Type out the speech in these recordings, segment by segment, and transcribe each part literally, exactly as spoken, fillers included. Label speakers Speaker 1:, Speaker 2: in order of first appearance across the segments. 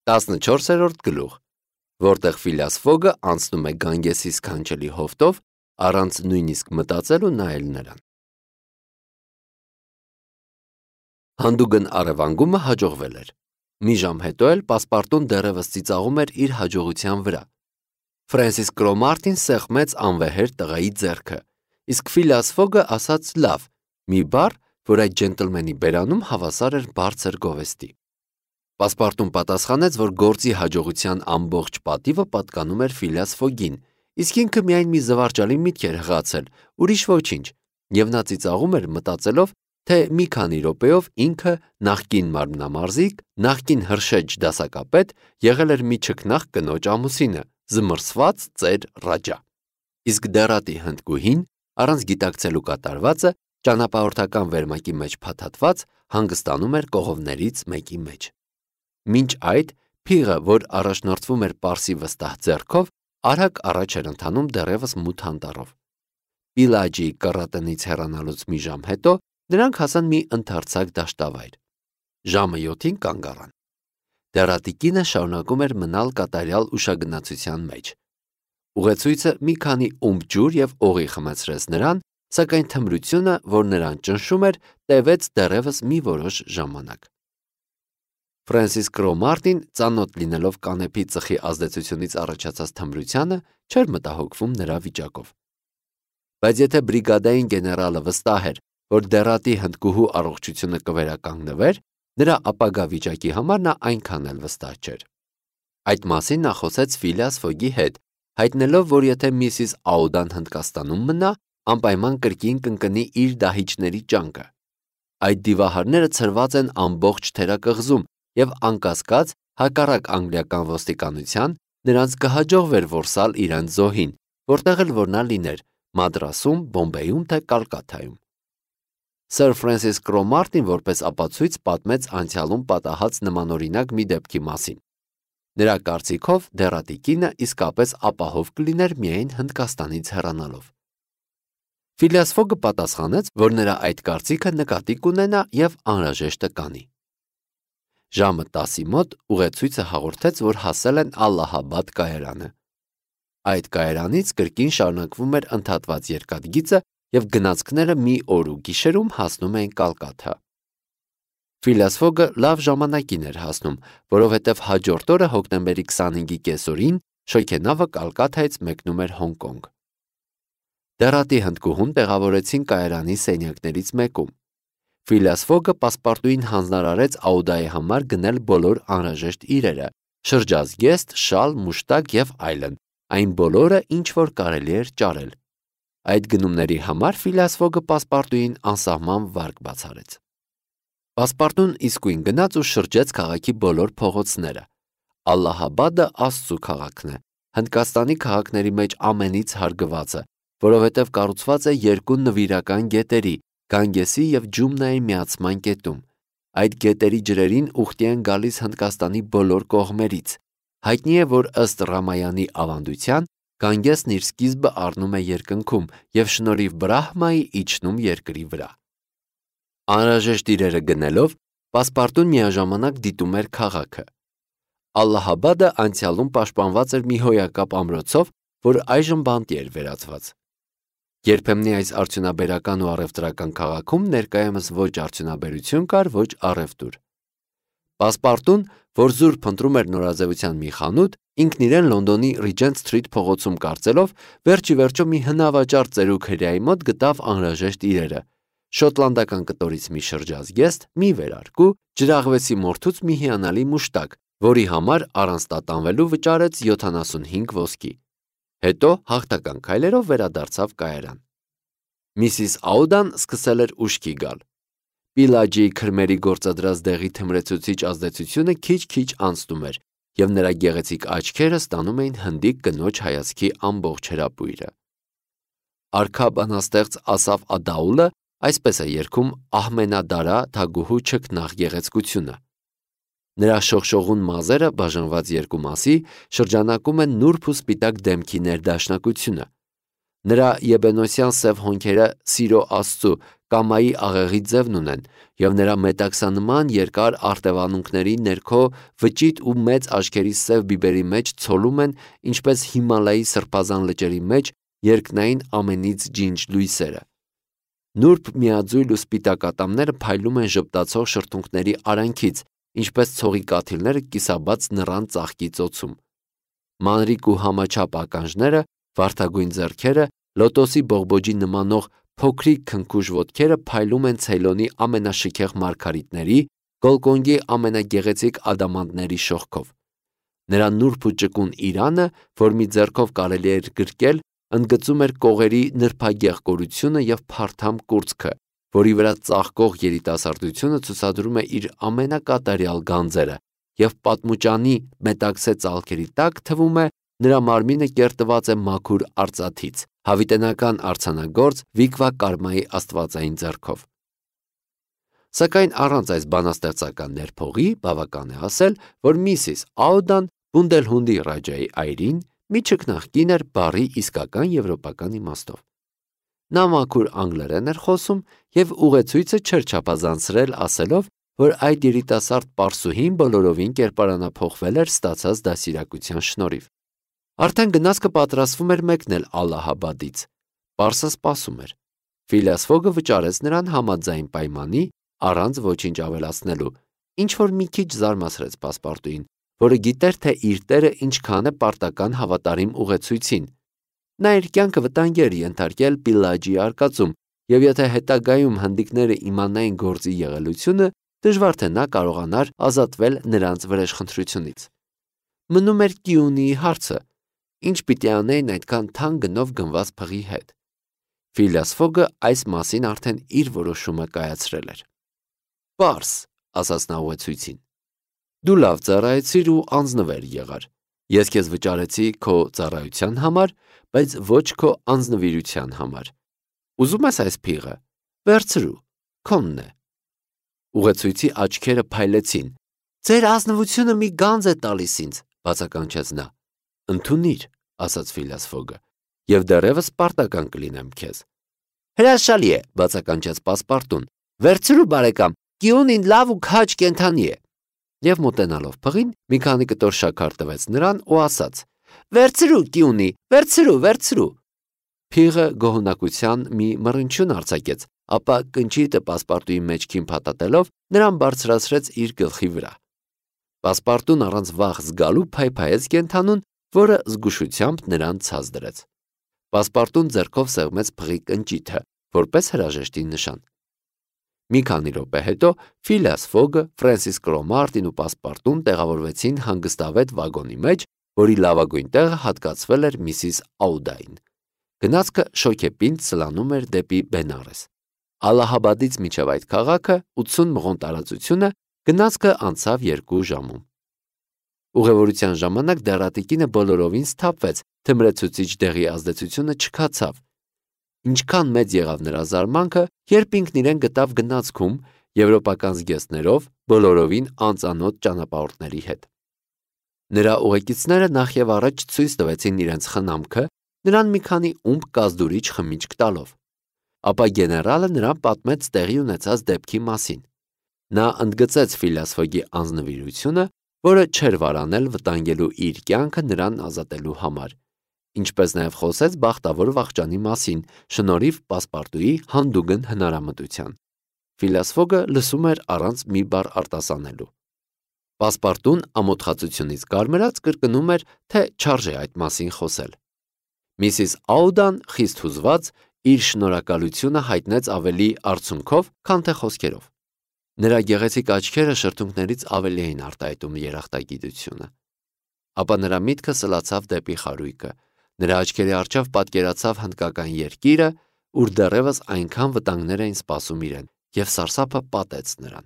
Speaker 1: տասնչորսերորդ գլուխ, որտեղ Ֆիլիաս Ֆոգը անցնում է Գանգեսի սքանչելի հովտով, առանց նույնիսկ մտածել ու նայել նրան։ Հանդուգն առևանգումը հաջողվել էր։ Մի ժամ հետո էլ պասպարտուն դեռևս ծիծաղում էր իր հաջողության վրա։ Ֆրենսիս Կրոմարտին սեղմեց անվեհեր տղայի ձեռքը, իսկ Ֆիլիաս Ֆոգը ասաց լավ, մի բառ, որ այդ ջենտլմենի բերանում հավասար էր բարձր գովեստի։ Պասպարտուն պատասխանեց, որ գործի հաջողության ամբողջ պատիվը պատկանում էր Ֆիլիաս Ֆոգին, իսկ ինքը միայն մի զվարճալի միտք էր հղացել, ուրիշ ոչինչ, եւ նա ծիծաղում էր մտածելով, թե մի քանի րոպեով ինքը նախկին մարմնամարզիկ, նախկին հրշեջ դասակապետ եղել էր մի չքնաղ կնոջ ամուսինը, զմռսված ծեր Ռաջա։ Իսկ դեռատի հնդկուհին, առանց գիտակցելու կատարվածը, ճանապարհորդական վերմակի մեջ փաթաթված, հանգստանում էր կողովներից մեկի մեջ։ Մինչ այդ, փիղը, որ առաջնորդվում էր Պարսի վստահ ձեռքով, արագ առաջ էր ընթանում դեռևս մութ անտառով։ Պիլաջիի կռատնից հեռանալուց մի ժամ հետո նրանք հասան մի ընդարձակ դաշտավայր։ Ժամը յոթին կանգ առան։ Դեռատի կինը շարունակում էր մնալ կատարյալ ուշագնացության մեջ։ Ուղեցույցը մի քանի ումբ ջուր եւ օղի խմեցրեց նրան, սակայն թմրությունը, որ նրան ճնշում էր, տևեց դեռևս մի որոշ ժամանակ։ Ֆրենսիս Կրոմարտին, ծանոթ լինելով կանեփի ծխի ազդեցությունից առաջացած թմրությանը, չէր մտահոգվում նրա վիճակով։ Բայց եթե բրիգադային գեներալը վստահ էր, որ դեռատի հնդկուհու առողջությունը կվերականգնվեր, նրա ապագա վիճակի համար նա այնքան էլ վստահ չէր։ Այդ մասին նա խոսեց Ֆիլիաս Ֆոգի հետ, հայտնելով, որ եթե միսիս Աուդան Հնդկաստանում մնա, անպայման կրկին կընկնի իր դահիճների ճանկը։ Այդ դիվահարները ցրված են ամբողջ թերակղզում, եւ անկասկած, հակառակ անգլիական ոստիկանության, նրանց կհաջողվեր որսալ իրենց զոհին, որտեղ էլ որ նա լիներ, Մադրասում, Բոմբեյում թե Կալկաթայում։ Սր Ֆրենսիս Կրոմարտին որպես ապացույց պատմեց անցյալում պատահած նմանօրինակ մի դեպքի մասին։ Նրա կարծիքով դեռատի կինը իսկապես ապահով կլիներ միայն Հնդկաստանից հեռանալով։ Ֆիլիաս Ֆոգը պատասխանեց, որ նրա այդ կարծիքը նկատի կունենա եւ անհրաժեշտը կանի։ Ժամը տասի մոտ ուղեցույցը հաղորդեց, որ հասել են Ալլահաբադ կայարանը։ Այդ կայարանից կրկին շարունակվում էր ընդհատված երկաթգիծը եւ գնացքները մի օր ու գիշերում հասնում էին Կալկաթա։ Ֆիլիաս Ֆոգը լավ ժամանակին էր հասնում, որովհետև հաջորդ օրը հոկտեմբերի քսանհինգի կեսօրին շոգենավը Կալկաթայից մեկնում էր Հոնկոնգ։ Դեռատի հնդկուհուն տեղավորեցին կայարանի սենյակներից մեկում։ Ֆիլիաս Ֆոգը պասպարտուին հանձնարարեց Աուդայի համար գնել բոլոր անհրաժեշտ իրերը՝ շրջազգեստ, շալ, մուշտակ եւ այլն, այն բոլորը, ինչ որ կարելի էր ճարել։ Այդ գնումների համար Ֆիլիաս Ֆոգը պասպարտուին անսահման վարկ բացարեց։ Պասպարտուն իսկույն գնաց ու շրջեց քաղաքի բոլոր փողոցները։ Ալլահաբադը Աստծու քաղաքն է, Հնդկաստանի քաղաքների մեջ ամենից հարգվածը, որովհետև կառուցված է երկու նվիրական գետերի՝ Գանգեսի եւ Ջումնայի միացման կետում։ Այդ գետերի ջրերին ուխտի են գալիս Հնդկաստանի բոլոր կողմերից։ Հայտնի է, որ ըստ Ռամայանի ավանդության Գանգեսն իր սկիզբը առնում է երկնքում եւ շնորհիվ Բրահմայի իջնում երկրի վրա։ Անհրաժեշտ իրերը գնելով, պասպարտուն միաժամանակ դիտում էր քաղաքը։ Ալլահաբադը անցյալում պաշտպանված էր մի հոյակապ ամրոցով, որ այժմ բանտի էր վերածված։ Երբեմնի այս արդյունաբերական ու առևտրական քաղաքում ներկայումս ոչ արդյունաբերություն կար, ոչ առևտուր։ Պասպարտուն, որ զուր փնտրում էր նորաձևության մի խանութ, ինքն իրեն Լոնդոնի Regent Street փողոցում կարծելով, վերջի վերջո մի հնավաճառ ծերուկ հրեայի մոտ գտավ անհրաժեշտ իրերը՝ շոտլանդական կտորից մի շրջազգեստ, մի վերարկու, ջրաղվեսի մորթուց մի հիանալի մուշտակ, որի համար առանց տատանվելու վճարեց յոթանասունհինգ ոսկի։ Հետո հաղթական քայլերով վերադարձավ կայարան։ Միսիս Աուդան սկսել էր ուշքի գալ։ Պիլաջիի քրմերի գործադրած դեղի թմրեցուցիչ ազդեցությունը քիչ-քիչ անցնում էր, եւ նրա գեղեցիկ աչքերը ստանում էին հնդիկ կնոջ հայացքի ամբողջ հրապույրը։ Արքա բանաստեղծ Ասաֆ Ադաուլը այսպես է երգում Ահմենադարա թագուհու չքնաղ գեղեցկությունը։ Նրա շողշողուն մազերը, բաժանված երկու մասի, շրջանակում են նուրբ ու սպիտակ դեմքի ներդաշնակությունը։ Նրա եբենոսյան սև հոնքերը սիրո աստծու կամայի աղեղի ձևն ունեն, և նրա մետաքսանման երկար արտևանունքների ներքո վճիտ ու մեծ աչքերի սև բիբերի մեջ ցոլում են, ինչպես Հիմալայի սրբազան լճերի մեջ երկնային ամենից ջինջ լույսերը։ Նուրբ միաձույլ ու սպիտակ ատամները փայլում են ժպտացող շրթունքների արանքից, ինչպես ցողի կաթիլները կիսաբաց նռան ծաղկի ծոցում։ Մանրիկ ու համաչափ ականջները, վարդագույն ձեռքերը, լոտոսի բողբոջի նմանող փոքրիկ քնքուշ ոտքերը փայլում են Ցեյլոնի ամենաշքեղ մարգարիտների, Գոլկոնգի ամենագեղեցիկ ադամանդների շողքով։ Նրա նուրբ ու ճկուն իրանը, որ մի ձեռքով կարելի էր գրկել, ընդգծում էր կողերի նրբագեղ կորությունը և փարթամ կուրծքը, որի վրա ծաղկող երիտասարդությունը ցուցադրում է իր ամենակատարյալ գանձերը, և պատմուճանի մետաքսե ծալքերի տակ, թվում է, նրա մարմինը կերտված է մաքուր արծաթից, հավիտենական արձանագործ Վիկվա Կարմայի աստվածային ձեռքով։ Սակայն առանց այս բանաստեղծական ներփողի բավական է ասել, որ Միսիս Աուդան Բունդելհունդի Ռաջայի այրին մի չքնաղ կին էր բառի իսկական եվրոպական իմաստով։ Նա մաքուր անգլերեն էր խոսում և ուղեցույցը չէր չափազանցրել ասելով, որ այդ երիտասարդ պարսուհին բոլորովին կերպարանափոխվել էր ստացած դաստիարակության շնորհիվ։ Արդեն գնացքը պատրաստվում էր մեկնել Ալլահաբադից։ Պարսը սպասում էր։ Ֆիլիաս Ֆոգը վճարեց նրան համաձայն պայմանի, առանց ոչինչ ավելացնելու, ինչ-որ մի քիչ զարմացրեց պասպարտուին, որը գիտեր, թե իր տերը ինչքան է պարտական հավատարիմ ուղեցույցին։ Նա իր կյանքը վտանգի էր ենթարկել Պիլաջիի արկածում, և եթե հետագայում հնդիկները իմանային գործի եղելությունը, դժվար թե նա կարողանար ազատվել նրանց վրեժխնդրությունից։ Մնում էր Կիունիի հարցը, ինչ պիտի անեին այդքան թանկ գնով գնված փղի հետ։ Ֆիլիաս Ֆոգը այս մասին արդեն իր որոշումը կայացրել էր։ Պարս, ասաց նա ուղեցույցին, դու լավ ծառայեցիր ու անձնվեր եղար։ Ես քեզ վճարեցի քո ծառայության համար, բայց ոչ քո անձնվիրության համար։ Ուզում ես այս փիղը, վերցրու, քոնն է։ Ուղեցույցի աչքերը փայլեցին։ Ձեր ազնվությունը մի գանձ է տալիս ինձ, բացականչեց նա։ Ընդունիր, ասաց Ֆիլիաս Ֆոգը, և դեռևս պարտական կլինեմ քեզ։ Հրաշալի է, բացականչեց պասպարտուն։ Վերցրու, բարեկամ, Կիունին լավ ու քաջ կենդանի է։ Եվ մոտենալով փղին, մի քանի կտոր շաքար տվեց նրան ու ասաց. Վերցրու, Կիունի, վերցրու, վերցրու։ Փիղը գոհունակության մի մռնչյուն արձակեց, ապա կնճիռը պասպարտուի մեջքին փաթաթելով նրան բարձրացրեց իր գլխի վրա։ Պասպարտուն առանց վախ զգալու փայփայեց կենդանուն, որը զգուշությամբ նրան ցած դրեց։ Պասպարտուն ձեռքով սեղմեց փղի կնճիթը, որպես հրաժեշտի նշան։ Մի քանի րոպե հետո Ֆիլիաս Ֆոգը, Ֆրենսիս Կրոմարտին ու պասպարտուն տեղավորվեցին հանգստավետ վագոնի մեջ, որի լավագույն տեղը հատկացվել էր Միսիս Աուդային։ Գնացքը շոգեպինդ սլանում էր դեպի Բենարես։ Ալլահաբադից մինչև այդ քաղաքը ութսուն մղոն տարածությունը գնացքը անցավ երկու ժամում։ Ուղևորության ժամանակ դեռատիկինը բոլորովին սթափվեց, թմրեցուցիչ դեղի ազդեցությունը չքացավ։ Ինչքան մեծ եղավ նրա զարմանքը, երբ ինքն իրեն գտավ գնացքում եվրոպական զգեստներով բոլորովին անծանոթ ճանապարհորդների հետ։ Նրա ուղեկիցները նախ եւ առաջ ցույց տվեցին իրենց խնամքը, նրան մի քանի ումբ կազդուրիչ խմիչք տալով։ Ապա գեներալը նրան պատմեց տեղի ունեցած դեպքի մասին։ Նա ընդգծեց Ֆիլիաս Ֆոգի անձնվիրությունը, որը չէր վարանել վտանգելու իր կյանքը նրան ազատելու համար, ինչպես նաև խոսեց բախտավոր վախճանի մասին, շնորհիվ պասպարտուի հանդուգն հնարամտության։ Ֆիլիաս Ֆոգը լսում էր առանց մի բառ արտասանելու։ Պասպարտուն ամոթխածությունից կարմրած կրկնում էր, թե չարժե այդ մասին խոսել։ Միսիս Աուդան խիստ հուզված իր շնորհակալությունը հայտնեց ավելի արցունքով, քան թե խոսքերով։ Նրա գեղեցիկ աչքերը շրթունքներից ավելի էին արտահայտում երախտագիտությունը։ Ապա նրա միտքը սլացավ դեպի խարույկը։ Նրա աչքերի առջև պատկերացավ հնդկական երկիրը, ուր դեռևս այնքան վտանգներ էին սպասում իրեն, և սարսափը պատեց նրան։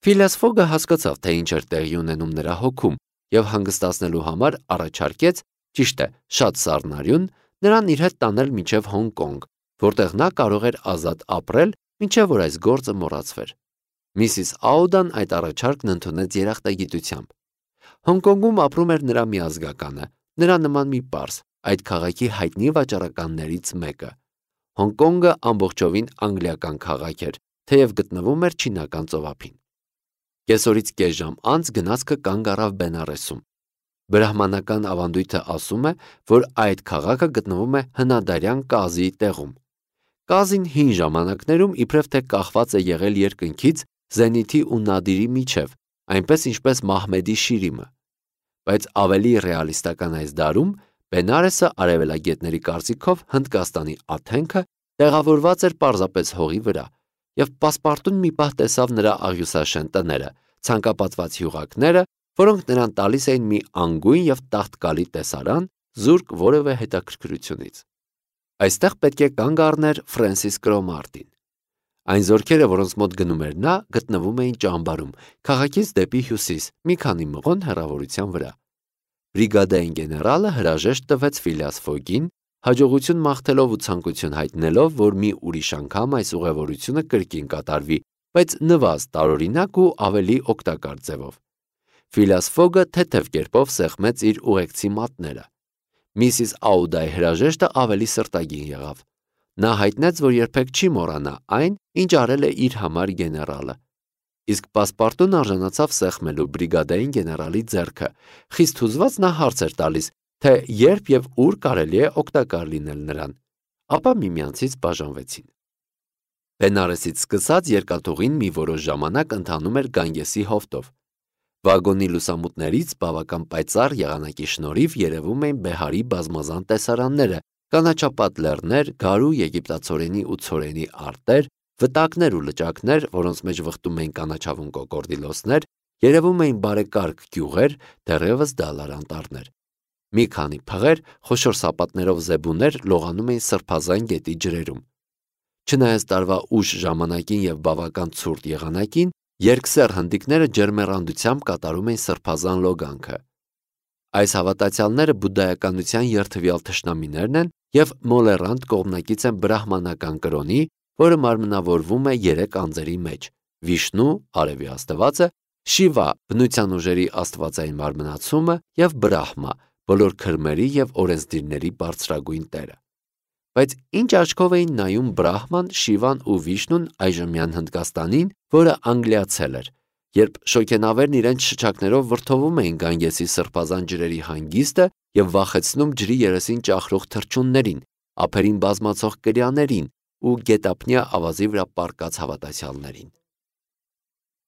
Speaker 1: Ֆիլիաս Ֆոգը հասկացավ, թե ինչ էր տեղի ունենում նրա հոգում, և հանգստացնելու համար առաջարկեց, ճիշտ է, շատ սառնարյուն, նրան իր հետ տանել մինչև Հոնկոնգ, որտեղ նա կարող էր ազատ ապրել, մինչև որ այս գործը մոռացվեր։ Միսիս Աուդան այդ առաջարկն ընդունեց երախտագիտությամբ։ Հոնկոնգում ապրում էր նրա միազգականը, նրա նման մի պարս, այդ քաղաքի հայտնի վաճառականներից մեկը։ Հոնկոնգը ամբողջովին անգլիական քաղաք էր, թեև գտնվում էր Չինական ծովափին։ Կեսօրից կես ժամ անց գնացքը կանգ առավ Բենարեսում։ Բրահմանական ավանդույթը ասում է, որ այդ քաղաքը գտնվում է հնադարյան Կազիի տեղում։ Կազին հին ժամանակներում իբրև թե կախված է եղել երկնքից Զենիթի ու Նադիրի միջև, այնպես ինչպես Մահմեդի Շիրիմը։ Բայց ավելի ռեալիստական այս դարում Բենարեսը արևելագետների կարծիքով Հնդկաստանի Աթենքը տեղավորված էր պարզապես հողի վրա, եւ պասպարտուն մի պահ տեսավ նրա աղյուսաշեն տները, ցանկապատված հյուղակները, որոնք նրան տալիս էին մի անգույն եւ տաղտկալի տեսարան, զուրկ որևէ հետաքրքրությունից։ Այստեղ պետք է կանգ առներ Ֆրենսիս Կրոմարտին։ Այն զորքերը, որոնց մոտ գնում էր նա, գտնվում էին ճամբարում, քաղաքից դեպի հյուսիս, մի քանի մղոն հեռավորության վրա։ Բրիգադային գեներալը հրաժեշտ տվեց Ֆիլիաս Ֆոգին, հաջողություն մաղթելով ու ցանկություն հայտնելով, որ մի ուրիշ անգամ այս ուղևորությունը կրկին կատարվի, բայց նվազ տարօրինակ ու ավելի օգտակար ձևով։ Ֆիլիաս Ֆոգը թեթև կերպով սեղմեց իր ուղեկցի մատները։ Միսիս Աուդայի հրաժեշտը ավելի սրտագին եղավ։ Նա հայտնեց, որ երբեք չի մոռանա այն, ինչ արել է իր համար գեներալը։ Իսկ պասպարտուն արժանացավ սեղմելու բրիգադային գեներալի ձեռքը։ Խիստ հուզված նա հարց էր տալիս, թե երբ եւ ուր կարելի է օգտակար լինել նրան։ Ապա միմյանցից բաժանվեցին։ Բենարեսից սկսած երկաթուղին մի որոշ ժամանակ ընթանում էր Գանգեսի հովտով։ Վագոնի լուսամուտներից բավական պայծառ եղանակի շնորհիվ երևում էին Բեհարի բազմազան տեսարանները, կանաչապատ լեռներ, գարու եգիպտացորենի ու ցորենի արտեր, վտակներ ու լճակներ, որոնց մեջ վխտում էին կանաչավուն կոկորդիլոսներ, երևում էին բարեկարգ գյուղեր, դեռևս դալար անտառներ։ Մի քանի փղեր, խոշոր սապատներով զեբուներ լողանում էին Սրբազան գետի ջրերում։ Չնայած տարվա ուշ ժամանակին եւ բավական ցուրտ եղանակին, երկսեռ հնդիկները ջերմեռանդությամբ կատարում էին Սրբազան լոգանքը։ Այս հավատացյալները բուդդայականության երթվյալ թշնամիներն են եւ մոլերանտ կողմնակից են բրահմանական կրոնի, որը մարմնավորվում է երեք անձերի մեջ՝ Վիշնու, արևի աստվածը, Շիվա, բնության ուժերի աստվածային մարմնացումը եւ Բրահմա, բոլոր քրմերի եւ օրենսդիրների բարձրագույն տերը։ Բայց ինչ աչքով էին նայում Բրահման, Շիվան ու Վիշնուն այժմյան Հնդկաստանին, որը անգլիացել էր, երբ շոգենավերն իրենց շչակներով վրդովում էին Գանգեսի սրբազան ջրերի հանգիստը եւ վախեցնում ջրի երեսին ճախրող թռչուններին, ափերին բազմացող կրյաներին ու գետափնյա ավազի վրա պառկած հավատացյալներին։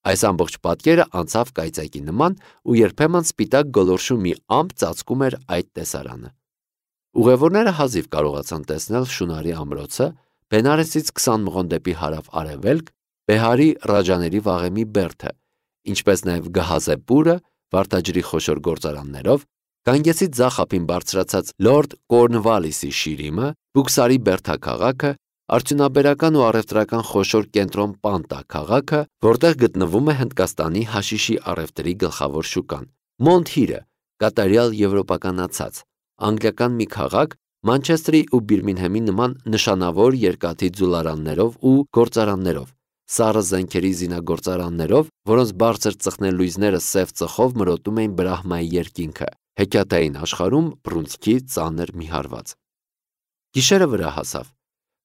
Speaker 1: Այս ամբողջ պատկերը անցավ կայծակի նման ու երբեմն սպիտակ գոլորշու մի ամպ ծածկում էր այդ տեսարանը։ Ուղևորները հազիվ կարողացան տեսնել Շունարի ամրոցը, Բենարեսից քսան մղոն դեպի հարավ-արևելք, Բեհարի Ռաջաների վաղեմի բերդը, ինչպես նաև Գահազեպուրը, Վարդաջրի խոշոր գործարաններով, Գանգեսի ձախ ափին բարձրացած Լորդ Կորնվալիսի Շիրիմը, Բուքսարի բերդաքաղաքը, արդյունաբերական ու առևտրական խոշոր կենտրոն Պանտա քաղաքը, որտեղ գտնվում է Հնդկաստանի հաշիշի առևտրի գլխավոր շուկան, Մոնթհիրը, կատարյալ եվրոպականացած, անգլիական մի քաղաք, Մանչեստրի ու Բիրմինհեմի նման նշանավոր երկաթի ձուլարաններով ու գործարաններով, սառը զենքերի զինագործարաններով, որոնց բարձր ծխնելույզները սև ծխով մրոտում էին Բրահմայի երկինքը, հեքիաթային աշխարհում բռունցքի ծանր մի հարված։ Գիշերը վրա հասավ։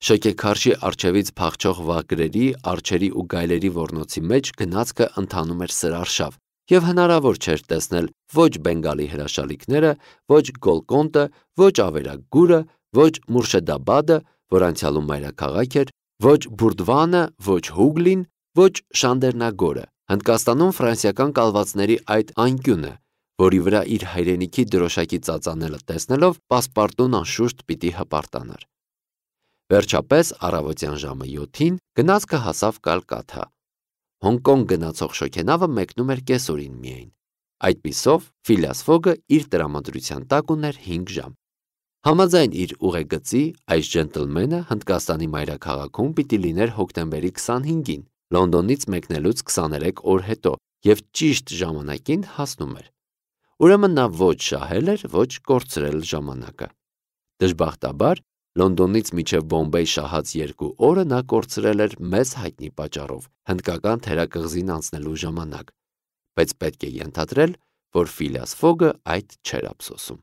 Speaker 1: Շոգեքարշի առջևից փախչող վագրերի, արջերի ու գայլերի ոռնոցի մեջ գնացքը ընթանում էր սրարշավ, եւ հնարավոր չէր տեսնել ոչ Բենգալի հրաշալիքները, ոչ Գոլկոնդը, ոչ Ավերագուրը, ոչ Մուրշեդաբադը, որ անցյալում մայրաքաղաք էր, ոչ Բուրդվանը, ոչ Հուգլին, ոչ Շանդերնագորը, Հնդկաստանում ֆրանսիական կալվածների այդ անկյունը, որի վրա իր հայրենիքի դրոշակի ծածանելը տեսնելով պասպարտուն անշուշտ պիտի հպարտանար։ Վերջապես առավոտյան ժամը յոթին գնացքը հասավ Կալկաթա։ Հոնկոնգ գնացող շոգենավը մեկնում էր կեսօրին միայն։ Այդպիսով Ֆիլիաս Ֆոգը իր տրամադրության տակ ուներ հինգ ժամ։ Համաձայն իր ուղեգծի, այս ջենտլմենը Հնդկաստանի մայրաքաղաքում պիտի լիներ հոկտեմբերի քսանհինգին, Լոնդոնից մեկնելուց քսաներեք օր հետո, եւ ճիշտ ժամանակին հասնում էր։ Ուրեմն նա ոչ շահել էր, ոչ կորցրել ժամանակը։ Դժբախտաբար Լոնդոնից մինչև Բոմբեյ շահած երկու օրը նա կորցրել էր մեծ հայտնի պատճառով, հնդկական թերակղզին անցնելու ժամանակ, բայց պետք է ենթադրել, որ Ֆիլիաս Ֆոգը այդ չէր ափսոսում։